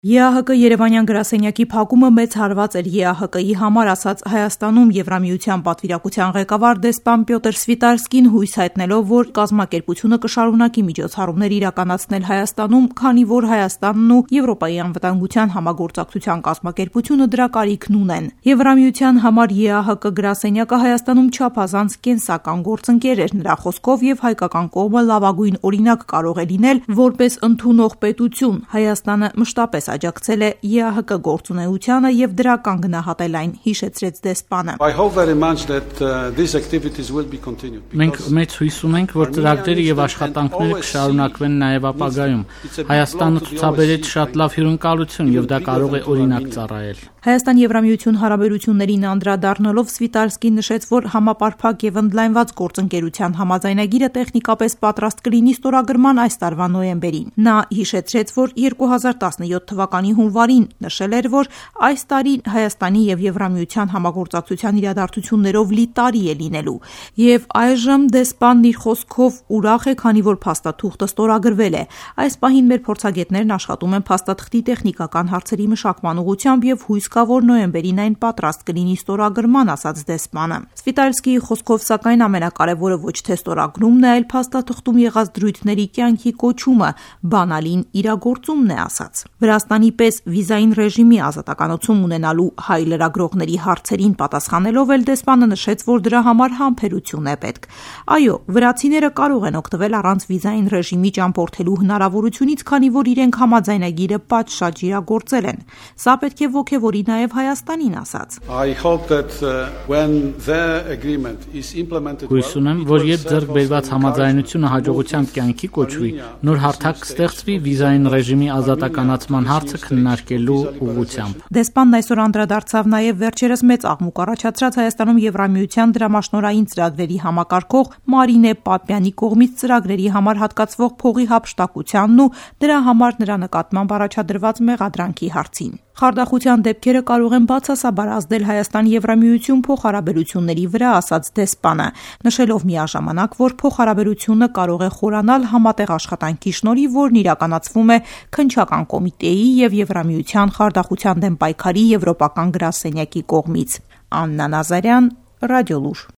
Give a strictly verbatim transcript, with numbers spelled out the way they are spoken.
ԵԱՀԿ Երևանյան գրասենյակի փակումը մեծ հարված էր ԵԱՀԿ-ի համար, ասաց Հայաստանում Եվրամիության պատվիրակության ղեկավար դեսպան Պյոտր Սվիտարսկին, հույս հայտնելով, որ կազմակերպությունը կշարունակի միջոցառումներ իրականացնել Հայաստանում, քանի որ Հայաստանն ու Եվրոպայի անվտանգության համագործակցության կազմակերպությունը դրա կարիքն ունեն։ Եվրամիության համար ԵԱՀԿ գրասենյակը Հայաստանում չափազանց կենսական գործընկեր էր, նրա խոսքով, եւ հայկական կողմը լավագույն օրինակ կարող է լինել որպես ընդունող պետություն։ Հայաստանը մշտապես աջակցել է ԵԱՀԿ գործունեությանը եւ դրական գնահատել այն, հիշեցրեց դեսպանը։ Մենք մեծ հույս ունենք, որ ծրագրերը եւ աշխատանքները կշարունակվեն նաեւ ապագայում։ Հայաստանը ցուցաբերեց շատ լավ հյուրընկալություն եւ դա կարող է օրինակ ծառայել։ Հայաստան-Եվրամիություն հարաբերություններին անդրադառնալով Սվիտարսկին նշեց, որ համապարփակ եւ ընդլայնված գործընկերության համաձայնագիրը տեխնիկապես պատրաստ կլինի ստորագրման այս տարվա նոյեմբերին։ Նա հիշեցրեց, որ երկու հազար տասնյոթ թվականի հունվարին նշել էր, որ այս տարին Հայաստանի եւ Եվրամիության համագործակցության իրադարձություններով լի տարի է լինելու, եւ այժմ դեսպանն իր խոսքով ուրախ է, քանի որ փաստաթուղթը ստորագրվել է։ Այս պահին մեր փորձագետներն աշխատում են փաստաթղթի տեխնիկական հարցերի մշակման ուղղությամբ եւ հույս կա, որ նոյեմբերին այն պատրաստ կլինի ստորագրման, ասաց դեսպանը։ Սվիտարսկիի խոսքով, սակայն, ամենակարևորը ոչ թե ստորագրումն է, այլ փաստաթղթում եղած դրույթների կյանքի կոչումը, բանալին իրագործումն է, ասաց։ Վրաստանի պես վիզային ռեժիմի ազատականություն ունենալու հայ լրագրողների հարցերին պատասխանելով էլ դեսպանը նշեց, որ դրա համար համբերություն է պետք։ Այո, վրացիները կարող են օգտվել առանց վիզային ռեժիմի ճամփորդելու հնարավորությունից, քանի որ իրենք համաձայնագիրը պատշաճ իրագործել են։ Սա պետք է ոգևորի նաև Հայաստանին, ասաց։ Հույս ունեմ, որ երբ ձեռք բերված համաձայնությունը հաջողությամբ կյանքի կոչվի, նոր հարթակ կստեղծվի վիզային ռեժիմի ազատականացման հարցը քննարկելու ուղղությամբ։ Դեսպանն այսօր անդրադարձավ նաև վերջերս մեծ աղմուկ առաջացրած Հայաստանում Եվրամիության դրամաշնորհային ծրագրերի համակարգող Մարինե Պապյանի կողմից ծրագրերի համար հատկացվող փողի հափշտակությանն ու դրա համար նրա նկատմամբ առաջադրված մեղադրանքի հարցին։ Խարդախության դեպքերը կարող են բացասաբար ազդել Հայաստան-Եվրամիություն փոխհարաբերությունների վրա, ասաց դեսպանը, նշելով միաժամանակ, որ փոխհարաբերությունը կարող է խորանալ համատեղ աշխատանքի շնորհիվ, որն իրականացվում է քննչական կոմիտեի եւ Եվրամիության խարդախության դեմ պայքարի եվրոպական գրասենյակի կողմից։ Աննա Նազարյան, Ռադիոլուր։